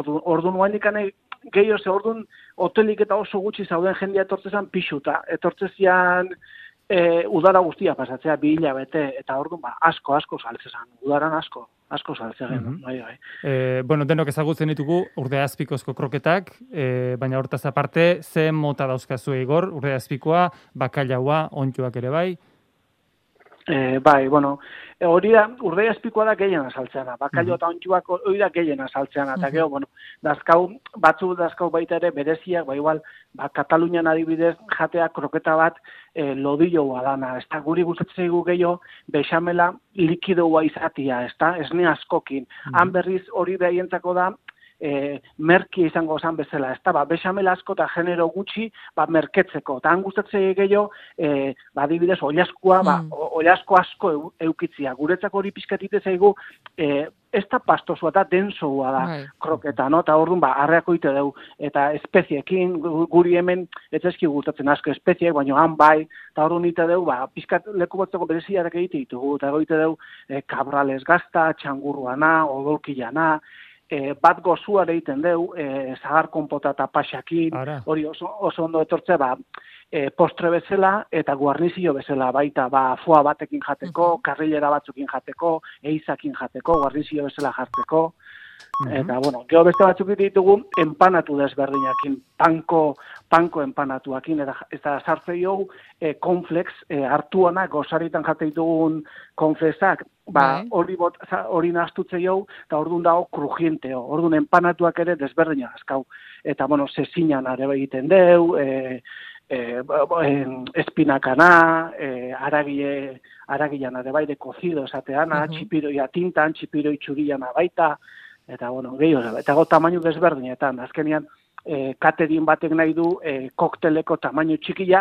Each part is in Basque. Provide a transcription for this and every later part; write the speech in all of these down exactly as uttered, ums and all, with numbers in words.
ordu, ordu nuain ikane gehiago ze ordun hotelik eta oso gutxi zauden jendea etortzezan pixuta. Etortzezian e, udara guztia pasatzea bi hilabete eta orduan ba, asko, asko saltzezan. Udaran asko, asko saltzegen. Mm -hmm. bai, bai. E, bueno, denok ezagutzen ditugu urdeazpikozko kroketak, e, baina hortaz aparte, ze mota dauzkazu Igor, urdeazpikoa, bakailaua, ontxuak ere bai? E, bai, bueno, hori da, urdei azpikoa da gehien azaltzeana, bakailo eta ontsuak hori da gehien azaltzeana, eta gero, bueno, dazkau, batzu dazkau baita ere bereziak, ba igual, ba, Katalunian adibidez jatea kroketa bat e, lodilloa dana, ez da, guri gustatzen zaigu gehiago, bexamela likidoa izatia, ez da, esne askokin, han berriz hori behientzako da, E, merki izango zan bezala, ez da, ba, bexamel asko eta genero gutxi, ba, merketzeko, eta han gustatzen gehiago, e, ba, dibidez, oliaskua, ba, mm. oliasko asko eu, eukitzia, guretzako hori pizkatite zaigu, e, ez da pastosua da, densoa da right. kroketa, no? Eta orduan, ba, arreako ite deu, eta espeziekin, guri hemen, ez ezki gustatzen asko espeziek, baina han bai, eta orduan ite deu, ba, pizkat leku batzeko bereziarak egite ditugu, eta egite deu, e, kabrales gazta, txangurruana, odolkilana, E, bat gozuare egiten deu, e, zagar konpota eta paxakin, hori oso, oso ondo etortze, ba, e, postre bezala eta guarnizio bezala, baita, ba, foa batekin jateko, uh-huh. karrilera batzukin jateko, eizakin jateko, guarnizio bezala jartzeko, uh-huh. eta, bueno, gero beste batzuk ditugu, empanatu desberdinakin, panko, panko empanatuakin, eta, eta sartzei hau, e, konflex, e, hartuanak, gozaritan jate ditugun konflexak, ba, hori bot, hori nahaztutze jau, eta orduan dago krujienteo, orduan empanatuak ere desberdina azkau. Eta, bueno, zezinan are egiten deu, e, e, e, espinakana, e, aragile, aragilan are bai de kozido esateana, uh-huh. txipiroia tintan, txipiroi txuriana baita, eta, bueno, gehiago, eta go tamainu desberdinetan, azkenian, E, katerin batek nahi du e, kokteleko tamaino txikia,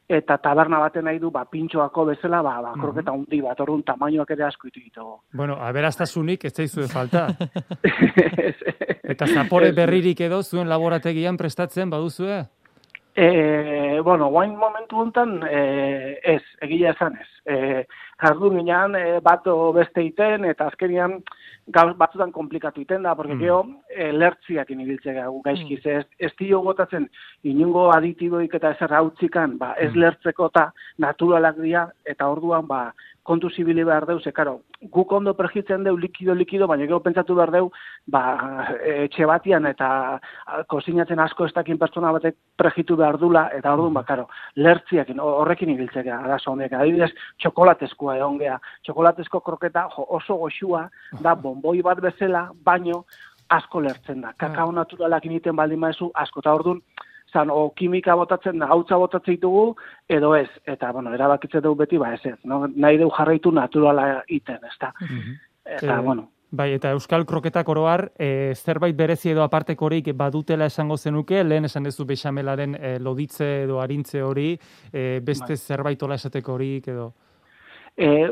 eta taberna batek nahi du ba, pintxoako bezala, ba, ba, kroketa uh-huh. hundi bat, orduan tamainoak ere asko itu ditugu. Bueno, aberastasunik ez zaizue falta. Eta zapore berririk edo zuen laborategian prestatzen baduzue? E, bueno, guain momentu honetan e, ez, egia esan ez. E, jardun ginean e, bat beste iten, eta azkenian gauz batzutan komplikatu iten da, porque mm. gero e, lertziak inibiltzea gaizkiz. Mm. Ez, ez dio gotatzen inungo aditiboik eta ezer hautzikan, ba, ez lertzeko eta naturalak dira, eta orduan ba, kontu zibili behar deu, ze, karo, guk ondo perjitzen deu likido-likido, baina gero pentsatu behar deu, ba, etxe batian eta kozinatzen asko ez dakin pertsona batek perjitu behar dula, eta orduan, ba, karo, lertziak horrekin ibiltzea, arazo honek. Adibidez, txokolatezkoa egon geha. Txokolatezko kroketa jo, oso goxua, da bonboi bat bezala, baino asko lertzen da. Kakao naturalak initen baldin maezu, asko, eta orduan, zan, o kimika botatzen da, gautza botatzen ditugu, edo ez. Eta, bueno, erabakitze dugu beti, ba ez ez. No? Nahi dugu jarraitu naturala iten, ez da. Uh-huh. Eta, eh, bueno. Bai, eta euskal kroketak oroar, e, zerbait berezi edo apartekorik badutela esango zenuke, lehen esan dezu bexamelaren e, loditze edo arintze hori, e, beste bai. Zerbait ola esateko horik edo... E,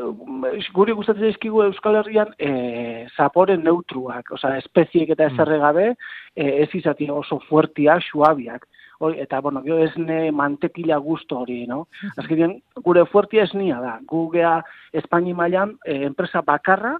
guri gustatzen zaizkigu Euskal Herrian e, zapore neutruak, osea, espeziek eta ezerre gabe, e, ez izatea oso fuertiak, suabiak. Hori, eta, bueno, gero esne mantekila gusto hori, no? Azkenean, gure fuertia esnia da. Gu gea Espaini mailan e, enpresa bakarra,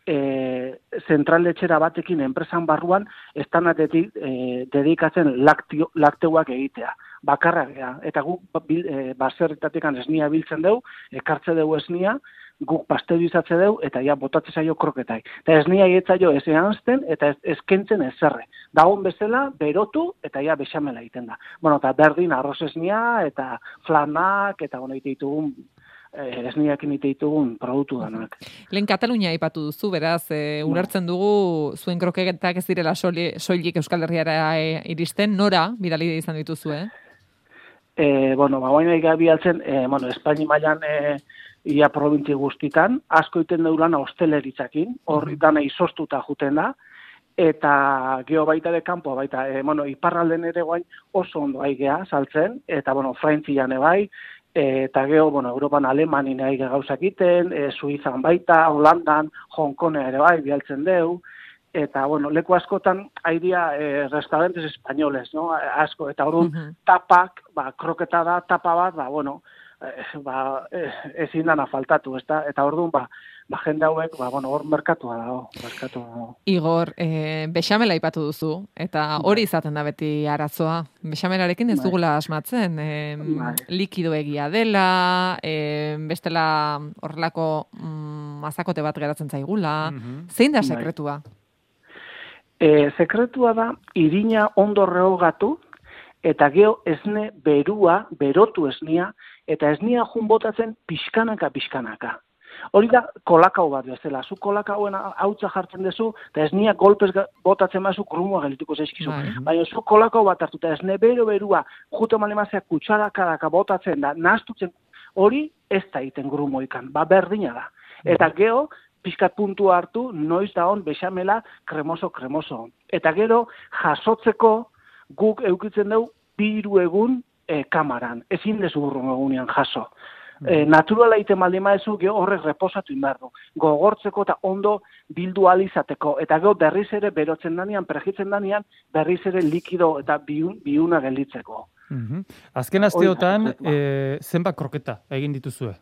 e, zentraletxera batekin enpresan barruan, estanatetik e, dedikatzen laktio, lakteuak egitea. Bakarra gea. Eta guk e, baserritatekan esnia biltzen deu, ekartze deu esnia, guk pasterizatze deu, eta ja botatze zaio kroketai. Eta esnia egetzaio ez eanzten, eta ez, eskentzen ezerre. Dagon bezala, berotu, eta ja bexamela egiten da. Bueno, eta berdin arroz esnia, eta flanak, eta bueno, ite ditugun, eh, esniakin ite ditugun produktu danak. Lehen Katalunia aipatu duzu, beraz, e, ulertzen dugu, zuen kroketak ez direla soilik Euskal Herriara iristen, nora bidali izan dituzu, eh? E, bueno, ba, baina igabi altzen, e, bueno, Espaini mailan e, ia probintzi guztitan, asko iten deurana hosteleritzakin, horri dana izostuta juten da, eta geho baita de kanpo, baita, e, bueno, iparralden ere guain oso ondo aigea saltzen, eta, bueno, Frantzian ebai, e, eta geho, bueno, Europan Alemanin aige gauzak iten, e, Suizan baita, Holandan, Hong Kong ere bai, bialtzen deu, eta, bueno, leku askotan haidia eh, restaurantes españoles, no? Asko, eta orduan uh-huh. tapak, ba, kroketa da, tapa bat, ba, bueno, eh, ba, eh, ezin dana faltatu, ezta? Eta orduan, ba, ba, jende hauek, ba, bueno, hor merkatua dago, merkatua dago. Igor, e, bexamela aipatu duzu, eta hori izaten da beti arazoa. Bexamelarekin ez dugula asmatzen, e, likido egia dela, e, bestela horrelako mm, mazakote bat geratzen zaigula. Mm-hmm. Zein da sekretua? E, sekretua da, irina ondo rehogatu, eta geho esne berua, berotu esnia, eta esnia jun botatzen pixkanaka, pixkanaka. Hori da kolakau bat bezala. Zu kolakauen hautza jartzen duzu, eta esnia golpez botatzen bazu, grumua gelituko zaizkizu. Baina zu kolakau bat hartu, eta esne bero berua, jute malemazea kutsaraka botatzen da, nahastutzen, hori ez da iten grumoikan, ba berdina da. Eta geho, pixkat puntu hartu, noiz da hon bexamela kremoso-kremoso. Eta gero, jasotzeko, guk eukitzen dugu biru egun e, kamaran. Ezin dezu burrun egunean jaso. E, naturala iten baldima ezu, geho horrek reposatu inbardu. Gogortzeko eta ondo bildu alizateko. Eta geho berriz ere berotzen danean, prejitzen danean, berriz ere likido eta biun, biuna gelditzeko. Mm-hmm. Azken asteotan, e, zenbat kroketa egin dituzue?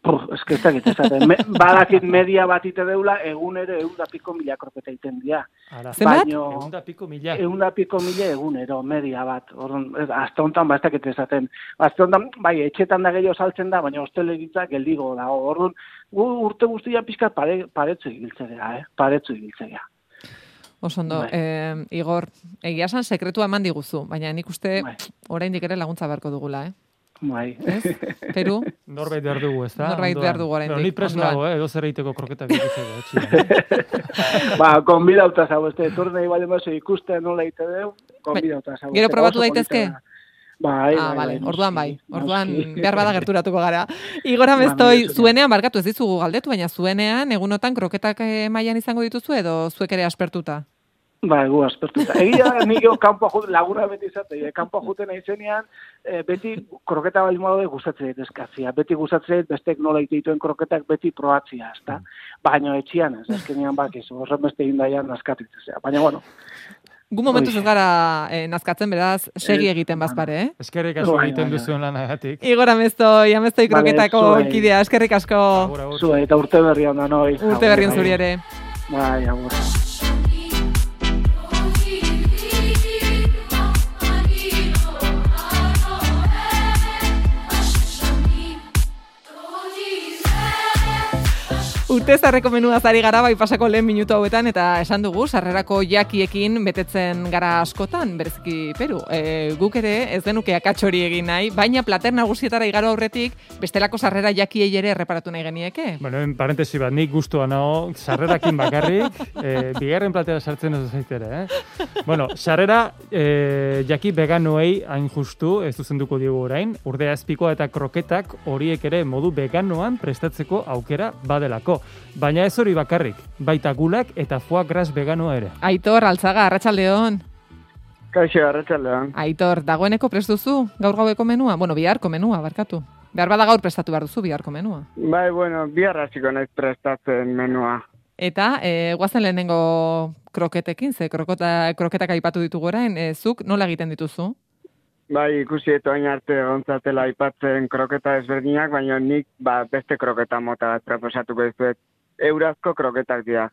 Pur, eske ez dakit, ez dakit. Me, badakit media bat ite deula, egunero eunda piko mila kroketa iten dira. Zenbat? Eunda piko mila. Eunda piko mila egunero, media bat. Orduan, azte honetan, ba, ez dakit ezaten. Azte honetan, bai, etxetan da gehiago saltzen da, baina hosteleritza geldigo da. Orduan, urte guztia pixkat pare, paretzu igiltzea, eh? Paretzu igiltzea. Osondo, eh, Igor, egia san sekretua eman diguzu, baina nik uste oraindik ere laguntza beharko dugula, eh? Bai. Peru? Norbait behar dugu, ez da? Norbait behar dugu oraindik. Ni prest nago, eh? Edo zer egiteko kroketak egiteko. Ba, konbidauta zau, ez da, etornei bale mazo ikusten nola egite deu, konbidauta zau. Gero probatu daitezke? Bai, ah, bai, vale. bai. Orduan bai. Orduan behar bada gerturatuko gara. Igor Ameztoi, zuenean, barkatu ez dizugu galdetu, baina zuenean, egunotan kroketak mailan izango dituzu edo zuek ere aspertuta? Ba, egu aspertuta. Egia da, nik kanpoa juten, laguna beti izate, e, kanpoa juten aizenean, e, beti kroketa bali modu gustatzen dit eskatzia. Beti gustatzen dit, bestek nola dituen kroketak beti probatzia, ezta? Baina etxian ez, ezkenean bakizu, horren beste indaian naskatitzea. Baina, bueno. Gu momentuz ez gara eh, nazkatzen, beraz, segi egiten bazpare, eh? Eskerrik asko egiten duzuen lanagatik. Igor Ameztoi, Ameztoi kroketako kidea, eskerrik asko. Zue, eta urte berri handa noi. Urte berri zuri ere. Bai, agur. Urte zarreko menua zari gara bai pasako lehen minutu hauetan, eta esan dugu, sarrerako jakiekin betetzen gara askotan, bereziki Peru. E, guk ere ez genuke akats hori egin nahi, baina plater nagusietara igaro aurretik, bestelako sarrera jakiei ere erreparatu nahi genieke. Bueno, en parentesi bat, nik gustua nago, sarrerakin bakarrik, e, bigarren platera sartzen ez zaitere, eh? Bueno, sarrera e, jaki veganoei hain justu, ez zuzenduko diogu orain, urdea azpikoa eta kroketak horiek ere modu veganoan prestatzeko aukera badelako. Baina ez hori bakarrik, baita gulak eta foie gras veganoa ere. Aitor, Altzaga, arratsaldeon. Kaixo, arratsaldeon. Aitor, dagoeneko prest duzu gaur gaueko menua? Bueno, biharko menua, barkatu. Behar bada gaur prestatu behar duzu biharko menua. Bai, bueno, bihar hasiko naiz prestatzen menua. Eta, e, guazen lehenengo kroketekin, ze krokota, kroketak aipatu ditugu orain, e, zuk nola egiten dituzu? Bai, ikusi eto hain arte gontzatela aipatzen kroketa ezberdinak, baina nik ba, beste kroketa mota bat proposatuko dizuet. Eurazko kroketak dira.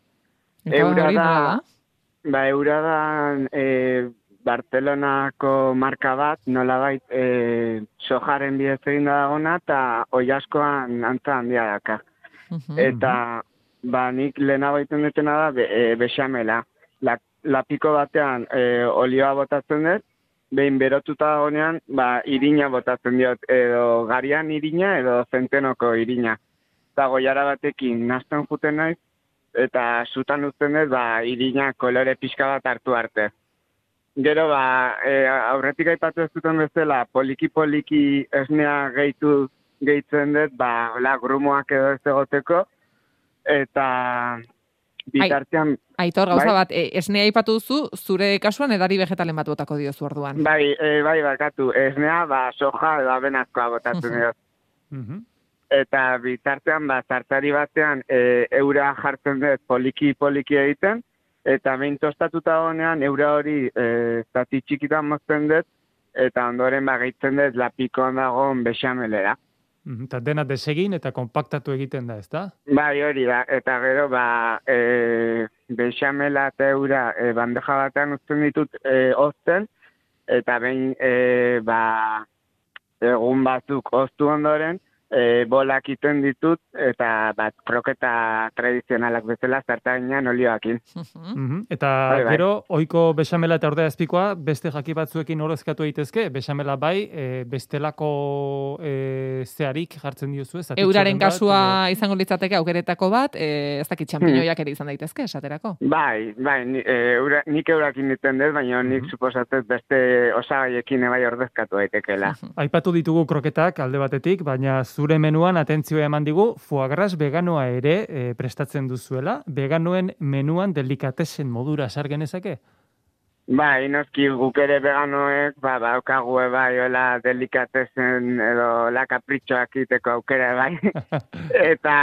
Eura da, da? Ba, eura da e, Barcelonako marka bat, nolabait e, sojaren bidez egin da dagona, eta oiaskoan antza handia daka. Uh-huh. Eta ba, nik lehenago egiten dutena da be, e, bexamela. La, lapiko batean e, olioa botatzen dut, behin berotuta dagoenean, ba, irina botatzen diot, edo garian irina, edo zentenoko irina. Eta goiara batekin nazten juten naiz, eta zutan uzten dut, ba, irina kolore pixka bat hartu arte. Gero, ba, e, aurretik aipatu ez duten bezala, poliki-poliki esnea gehitu gehitzen dut, ba, la, grumoak edo ez egoteko, eta bitartean... Aitor, gauza bai? Bat, e, esnea aipatu duzu, zure kasuan edari vegetalen bat botako diozu orduan. Bai, e, bai, bakatu, esnea, ba, soja edo abenazkoa botatzen uh-huh. diot. Uh-huh. Eta bitartean, ba, zartari batean, e, eura jartzen dut poliki-poliki egiten, eta behin tostatuta honean, eura hori e, zati txikitan mozten dut, eta ondoren ba, gehitzen dut lapikoan dagoen bexamelera. Eta dena desegin eta konpaktatu egiten da, ezta? Bai, hori da. Eta gero, ba, e, bexamela eta eura e, bandeja batean uzten ditut e, ozten, eta behin, e, ba, egun batzuk oztu ondoren, e, bolak iten ditut, eta bat kroketa tradizionalak bezala zarta ginean olioakin. Mm-hmm. Eta bai, bai. gero, ohiko bexamela eta ordea azpikoa, beste jaki batzuekin horrezkatu daitezke, bexamela bai, e, bestelako e, zeharik jartzen diozu ez? Euraren bat, kasua edo... izango litzateke aukeretako bat, e, ez dakit txampiñoiak ere izan daitezke, esaterako. Bai, bai, ni, e, eura, nik eurakin niten dut, baina nik mm-hmm. suposatzen beste osagaiekin bai ordezkatu daitekela. Aipatu ditugu kroketak alde batetik, baina zure menuan atentzioa eman digu foie gras veganoa ere e, prestatzen duzuela. Veganoen menuan delikatesen modura sar genezake? Bai, noski guk ere veganoek, ba, baukagu bai, hola delikatesen edo la kapritxoak iteko aukera bai. Eta,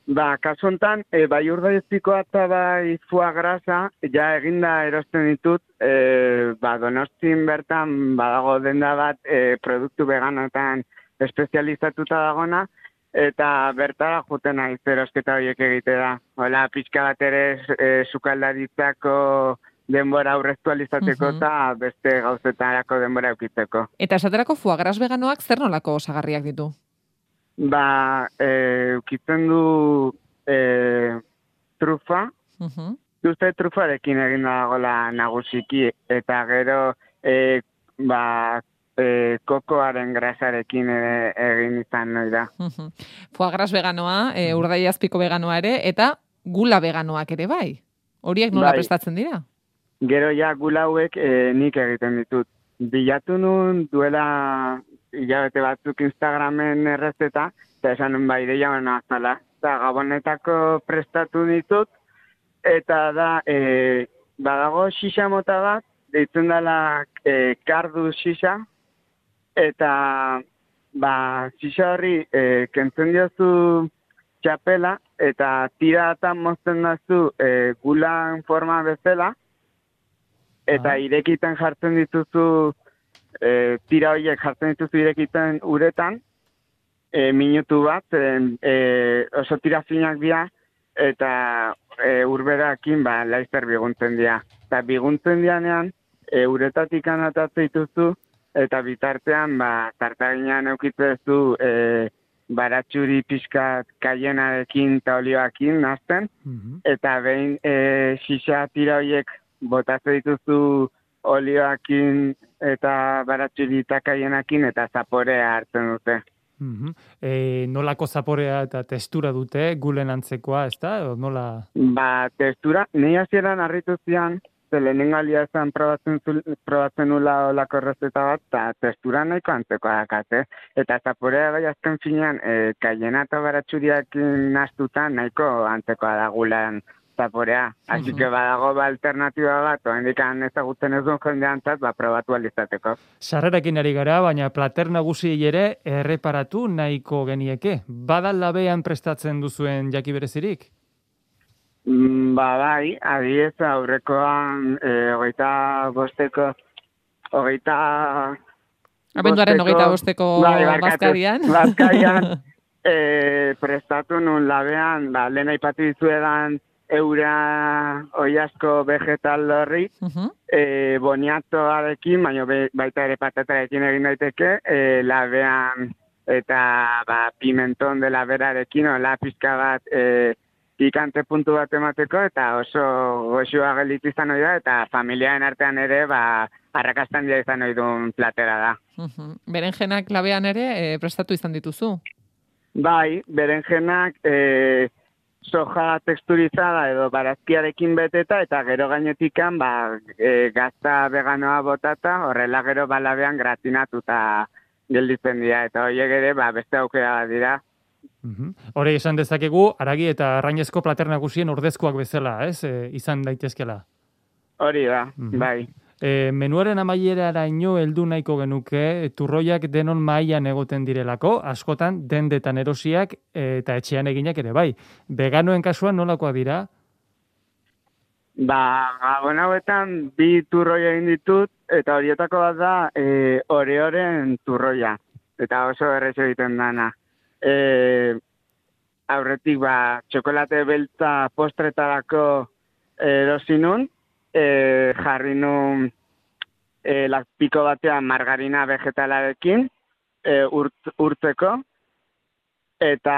ba, kasu hontan, e, bai urdaizpikoa eta bai foie grasa, ja eginda erosten ditut, e, ba, Donostin bertan, badago denda bat, e, produktu veganoetan espezializatuta dagona, eta bertara juten naiz erosketa horiek egitea. Hola, pixka bat ere e, sukaldaritzako denbora aurreztu alizateko eta uh-huh. beste gauzetarako denbora eukitzeko. Eta esaterako foie gras veganoak zer nolako osagarriak ditu? Ba, e, eukitzen du e, trufa, uh-huh. Uste trufarekin egin dagoela nagusiki, eta gero e, ba, E, kokoaren grasarekin ere egin izan nahi da. Uh-huh. Foie gras veganoa, e, urdai azpiko veganoa ere, eta gula veganoak ere bai. Horiek nola bai. Prestatzen dira? Gero ja gula hauek e, nik egiten ditut. Bilatu nun duela hilabete batzuk Instagramen errezeta, eta esan bai deia bena azala. Eta gabonetako prestatu ditut, eta da, e, badago xixa mota bat, deitzen dela e, kardu xixa, eta ba, xixa horri e, kentzen diozu txapela, eta tiratan mozten dazu e, gulan forma bezala, eta ah. irekiten jartzen dituzu, e, tira horiek jartzen dituzu irekiten uretan, e, minutu bat, e, e, oso tira finak dira, eta e, urberakin ba, laizter biguntzen dira. Eta biguntzen dianean, e, uretatik anatatzen dituzu, eta bitartean, ba, tartaginean eukitzezu e, baratxuri pixkat kaienarekin eta olioakin nazten, mm-hmm. eta behin e, xixa tira horiek botatzen dituzu olioakin eta baratxuri eta kaienakin eta zaporea hartzen dute. Mm-hmm. E, nolako zaporea eta testura dute, gulen antzekoa, ez da? O nola... Ba, testura, nahi hasieran harritu zian, zelenin galia ezan probatzen, probatzen nula olako errezeta bat, eta testura nahiko antzeko dakate. Eta zaporea bai azken finean, e, kaiena eta baratxuriak naztutan nahiko antzekoa da gulan zaporea. Asi que badago ba alternatiba bat, oa indikan ezagutzen ez duen jendeantzat, ba probatu alizateko. Sarrerekin ari gara, baina plater nagusi ere erreparatu nahiko genieke. Bada labean prestatzen duzuen jaki berezirik? Ba, bai, adiez aurrekoan e, hogeita bosteko, hogeita... Abenduaren hogeita bosteko bai, bazkarian. Bazkarian e, prestatu nun labean, ba, lehen aipatu dizuedan eura oiasko vegetal horri, uh-huh. e, boniatoarekin, baina be, baita ere patatarekin egin daiteke, e, labean eta ba, pimenton de laberarekin, ola pizka bat... E, pikante puntu bat emateko, eta oso goxua gelitu izan hori da, eta familiaren artean ere, ba, arrakastan dira izan hori duen platera da. Uh-huh. Berenjenak labean ere e, prestatu izan dituzu? Bai, berenjenak e, soja teksturizada edo barazkiarekin beteta, eta gero gainetikan, ba, e, gazta veganoa botata, horrela gero balabean gratinatuta gelditzen dira, eta horiek ere, ba, beste aukera dira. Uhum. Hore esan dezakegu, aragi eta arrainezko plater nagusien ordezkoak bezala, ez? E, izan daitezkela. Hori da, uhum. Bai. E, menuaren amaieraraino heldu nahiko genuke, turroiak denon mailan egoten direlako, askotan dendetan erosiak e, eta etxean eginak ere bai. Veganoen kasuan nolakoak dira? Ba, gabon hauetan bi turroi egin ditut, eta horietako bat da e, oreoren turroia. Eta oso errezo egiten dana. e, aurretik ba, txokolate beltza postretarako erosi nun, e, jarri nun e, piko batean margarina vegetalarekin e, urt, urtzeko, eta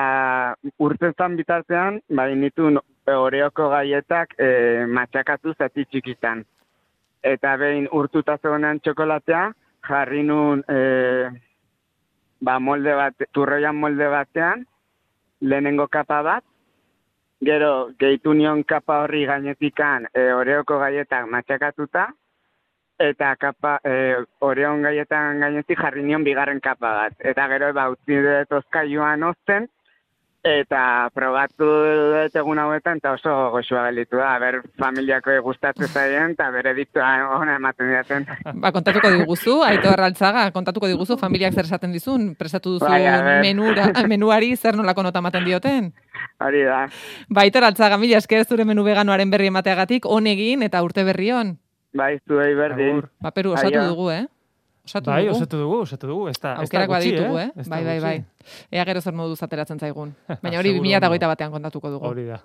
urteztan bitartean, bai nituen Oreoko gaietak e, matxakatu zati txikitan. Eta behin urtuta zegoenan txokolatea, jarri nun e, ba, molde bat, turroian molde batean, lehenengo kapa bat, gero gehitu nion kapa horri gainetikan e, Oreoko gaietak matxakatuta, eta kapa, e, Oreon gaietan gainetik jarri nion bigarren kapa bat. Eta gero ba, utzi dut ozkailuan ozten, eta probatu dut egun hauetan, eta oso goxua gelitu da, ber familiako gustatzen zaien, eta bere diktua hona ematen diaten. Ba, kontatuko diguzu, Aitor Altzaga, kontatuko diguzu, familiak zer esaten dizun, prestatu duzu bai, menura, menuari zer nolako nota ematen dioten? Hori da. Ba, Aitor Altzaga, mila esker zure menu veganoaren berri emateagatik, honegin eta urte berrion. Bai, zuei berdin. Ba, Peru, osatu Aio. dugu, eh? Osatu bai, dugu. osatu dugu, osatu dugu. Ez da, aukerak baditugu, eh? eh? Bai, bai, bai. Ea gero zer moduz ateratzen zaigun. Baina hori bi mila hogeita batean kontatuko dugu. Hori da.